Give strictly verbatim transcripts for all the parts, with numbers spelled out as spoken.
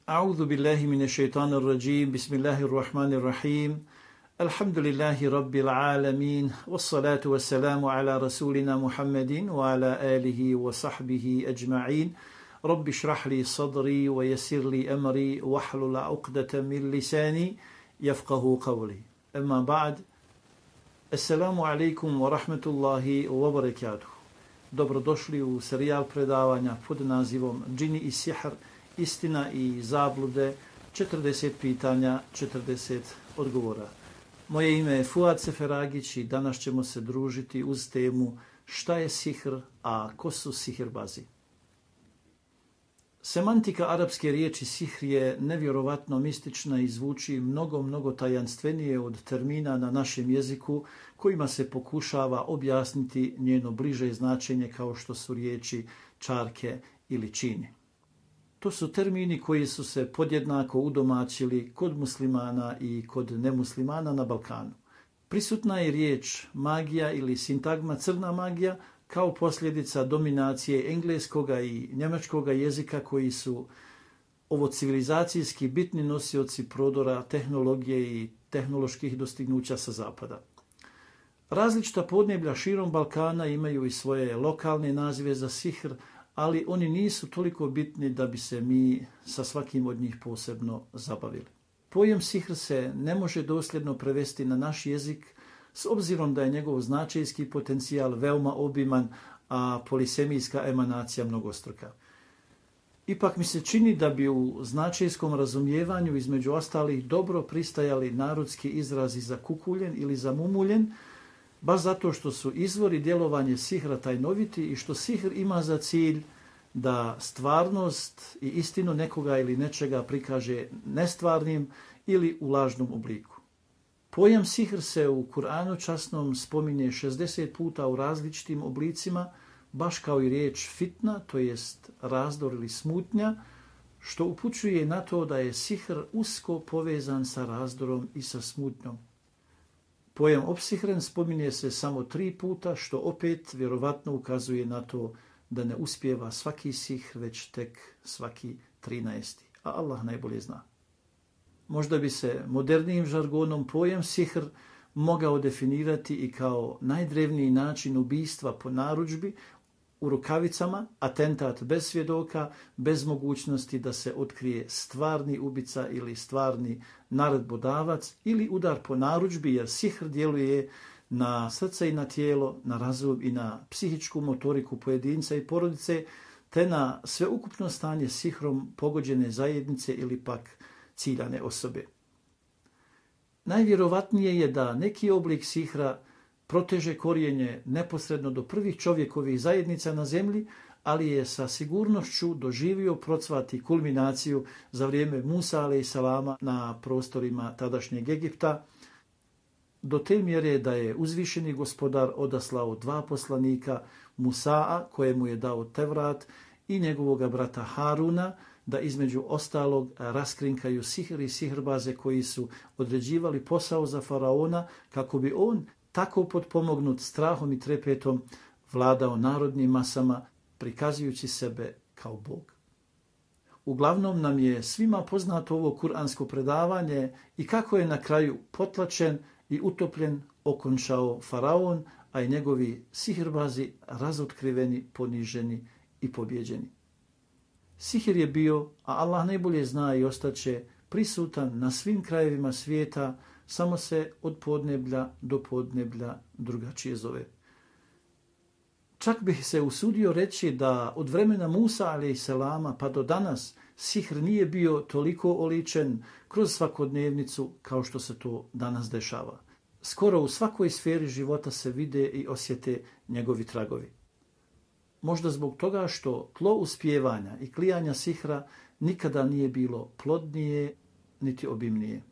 A'udhu billahi minash shaitanir rajim. Bismillahir rahmanir rahim. Alhamdulillahi rabbil alamin. Wassalatu wassalamu ala rasulina Muhammadin wa ala alihi wa sahbihi ajma'in. Rabbi shrah li sadri wa yassir li amri wahlul 'uqdatan min lisani yafqahu qawli. Amma ba'd. Assalamu alaikum wa rahmatullahi wa barakatuh. Dobrodošli u serijal predavanja pod nazivom Džini i sihr, istina i zablude, četrdeset pitanja, četrdeset odgovora. Moje ime je Fuad Seferagić i danas ćemo se družiti uz temu šta je sihr, a ko su sihirbazi. Semantika arapske riječi sihr je nevjerovatno mistična i zvuči mnogo, mnogo tajanstvenije od termina na našem jeziku kojima se pokušava objasniti njeno bliže značenje kao što su riječi čarke ili čini. To su termini koji su se podjednako udomaćili kod muslimana i kod nemuslimana na Balkanu. Prisutna je riječ magija ili sintagma crna magija kao posljedica dominacije engleskoga i njemačkoga jezika koji su ovo civilizacijski bitni nosioci prodora tehnologije i tehnoloških dostignuća sa zapada. Različita podneblja širom Balkana imaju i svoje lokalne nazive za sihr, ali oni nisu toliko bitni da bi se mi sa svakim od njih posebno zabavili. Pojam sihr se ne može dosljedno prevesti na naš jezik s obzirom da je njegov značajski potencijal veoma obiman, a polisemijska emanacija mnogostruka. Ipak mi se čini da bi u značajskom razumijevanju između ostalih dobro pristajali narodski izrazi za kukuljen ili za mumuljen, baš zato što su izvori djelovanje sihra tajnoviti i što sihr ima za cilj da stvarnost i istinu nekoga ili nečega prikaže nestvarnim ili u lažnom obliku. Pojam sihr se u Kur'anu časnom spominje šezdeset puta u različitim oblicima, baš kao i riječ fitna, to jest razdor ili smutnja, što upućuje na to da je sihr usko povezan sa razdorom i sa smutnjom. Pojam opsihren spominje se samo tri puta, što opet vjerovatno ukazuje na to da ne uspijeva svaki sihr, već tek svaki trinaesti, a Allah najbolje zna. Možda bi se modernijim žargonom pojam sihr mogao definirati i kao najdrevniji način ubistva po narudžbi u rukavicama, atentat bez svjedoka, bez mogućnosti da se otkrije stvarni ubica ili stvarni naredbodavac ili udar po narudžbi, jer sihr djeluje na srce i na tijelo, na razum i na psihičku motoriku pojedinca i porodice, te na sveukupno stanje sihrom pogođene zajednice ili pak ciljane osobe. Najvjerovatnije je da neki oblik sihra proteže korijenje neposredno do prvih čovjekovih zajednica na zemlji, ali je sa sigurnošću doživio procvat i kulminaciju za vrijeme Musa alejselama na prostorima tadašnjeg Egipta, do te mjere da je uzvišeni gospodar odaslao dva poslanika, Musaa, kojemu je dao Tevrat, i njegovog brata Haruna, da između ostalog raskrinkaju sihr i sihrbaze koji su određivali posao za faraona kako bi on, tako potpomognut strahom i trepetom, vladao narodnim masama, prikazujući sebe kao Bog. Uglavnom nam je svima poznato ovo kuransko predavanje i kako je na kraju potlačen i utopljen okončao faraon, a i njegovi sihrbazi razotkriveni, poniženi i pobjeđeni. Sihr je bio, a Allah najbolje zna i ostaće, prisutan na svim krajevima svijeta, samo se od podneblja do podneblja drugačije zove. Čak bih se usudio reći da od vremena Musa alejselama pa do danas sihr nije bio toliko oličen kroz svakodnevnicu kao što se to danas dešava. Skoro u svakoj sferi života se vide i osjete njegovi tragovi. Možda zbog toga što tlo uspijevanja i klijanja sihra nikada nije bilo plodnije niti obimnije.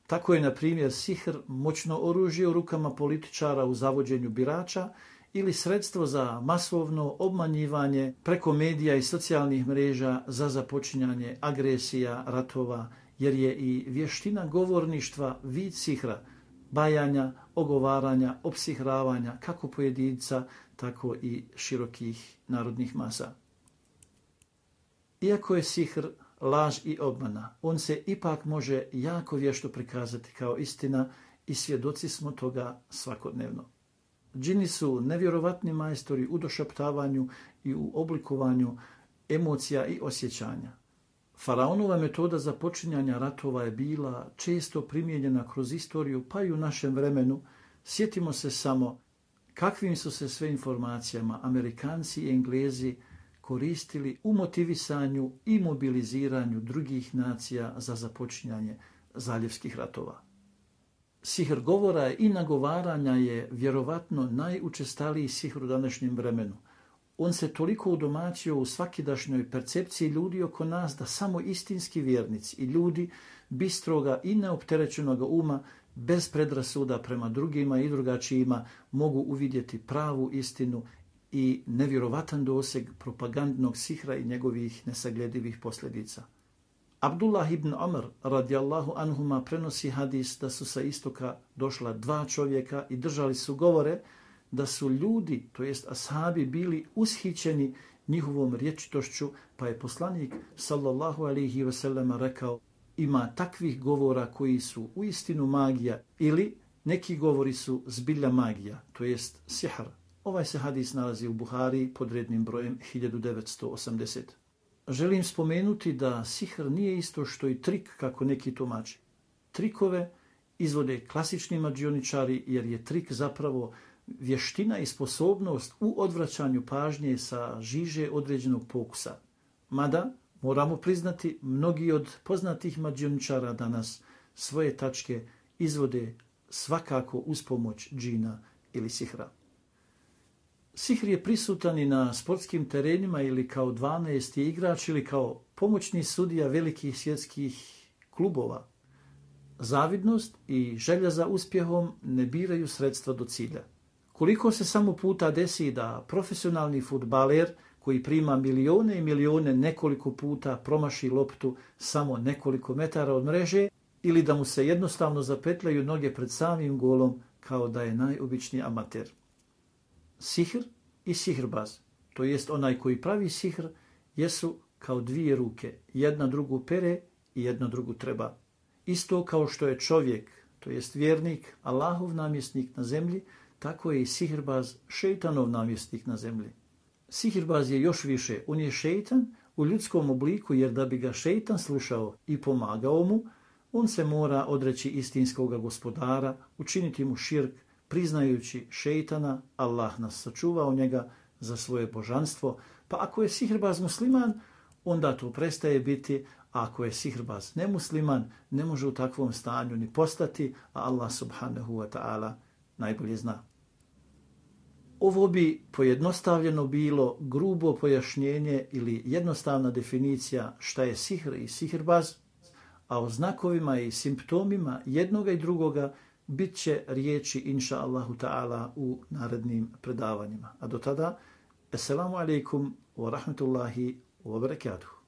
Tako je, na primjer, sihr moćno oružje u rukama političara u zavođenju birača ili sredstvo za masovno obmanjivanje preko medija i socijalnih mreža za započinjanje agresija, ratova, jer je i vještina govorništva vid sihra, bajanja, ogovaranja, opsihravanja kako pojedinca, tako i širokih narodnih masa. Iako je sihr laž i obmana. On se ipak može jako vješto prikazati kao istina i svjedoci smo toga svakodnevno. Džini su nevjerovatni majstori u došaptavanju i u oblikovanju emocija i osjećanja. Faraonova metoda za počinjanje ratova je bila često primijenjena kroz istoriju, pa i u našem vremenu. Sjetimo se samo kakvim su se sve informacijama Amerikanci i Englezi koristili u motivisanju i mobiliziranju drugih nacija za započinjanje zaljevskih ratova. Sihr govora i nagovaranja je vjerovatno najučestaliji sihr u današnjem vremenu. On se toliko udomaćio u svakidašnjoj percepciji ljudi oko nas da samo istinski vjernici i ljudi bistroga i neopterećenog uma, bez predrasuda prema drugima i drugačijima, mogu uvidjeti pravu istinu i nevjerovatan doseg propagandnog sihra i njegovih nesagledivih posljedica. Abdullah ibn Omar radijallahu anhuma prenosi hadis da su sa istoka došla dva čovjeka i držali su govore da su ljudi, to jest ashabi, bili ushićeni njihovom rječitošću, pa je poslanik sallallahu alaihi ve sellem rekao: ima takvih govora koji su uistinu magija ili neki govori su zbilja magija, to jest sihr. Ovaj se hadis nalazi u Buhari pod rednim brojem hiljadu devetsto osamdeset. Želim spomenuti da sihr nije isto što i trik kako neki tumači. Trikove izvode klasični mađioničari jer je trik zapravo vještina i sposobnost u odvraćanju pažnje sa žiže određenog pokusa. Mada, moramo priznati, mnogi od poznatih mađioničara danas svoje tačke izvode svakako uz pomoć džina ili sihra. Sihr je prisutan i na sportskim terenima ili kao dvanaesti igrač ili kao pomoćni sudija velikih svjetskih klubova. Zavidnost i želja za uspjehom ne biraju sredstva do cilja. Koliko se samo puta desi da profesionalni fudbaler koji prima milione i milione nekoliko puta promaši loptu samo nekoliko metara od mreže ili da mu se jednostavno zapetljaju noge pred samim golom kao da je najobičniji amater. Sihr i sihrbaz, to jest onaj koji pravi sihr, jesu kao dvije ruke, jedna drugu pere i jedna drugu treba. Isto kao što je čovjek, to jest vjernik, Allahov namjesnik na zemlji, tako je i sihrbaz šejtanov namjesnik na zemlji. Sihrbaz je još više, on je šejtan u ljudskom obliku, jer da bi ga šejtan slušao i pomagao mu, on se mora odreći istinskog gospodara, učiniti mu širk, priznajući šejtana. Allah nas sačuvao njega za svoje božanstvo, pa ako je sihrbaz musliman, onda to prestaje biti, a ako je sihrbaz nemusliman, ne može u takvom stanju ni postati, a Allah subhanahu wa ta'ala najbolje zna. Ovo bi pojednostavljeno bilo grubo pojašnjenje ili jednostavna definicija šta je sihr i sihrbaz, a o znakovima i simptomima jednoga i drugoga bit će riječi inša Allahu ta'ala u narednim predavanjima. A do tada, assalamu alaikum wa rahmatullahi wa barakatuh.